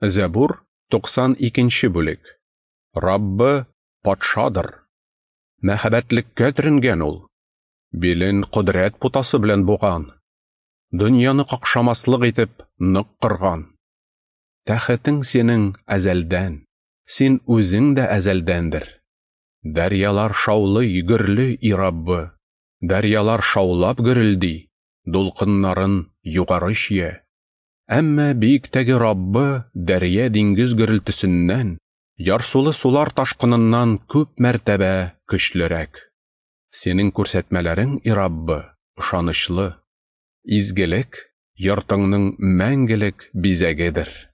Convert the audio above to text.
Зәбур, 92 бүлек. Раббы патшадыр. Мәһабәтлеккә төренгән ул. Билен кодрәт путасы белән буган. Дөньяны какшамаслык итеп нык корган. Тәхетең синең әзәлдән, син үзең дә әзәлдәндер. Дәрьялар шаулый, гөрли, и Раббы. Дәрьялар шаулап гөрелди, дулкыннарын югары чөя. Әмма биектәге Раббы дәрья диңгез гөрелтесеннән, ярсулы сулар ташкыныннан күп мәртәбә көчлерәк. Синең күрсәтмәләрең, и Раббы, ышанычлы. Изгелек йортыңның мәңгелек бизәгедер.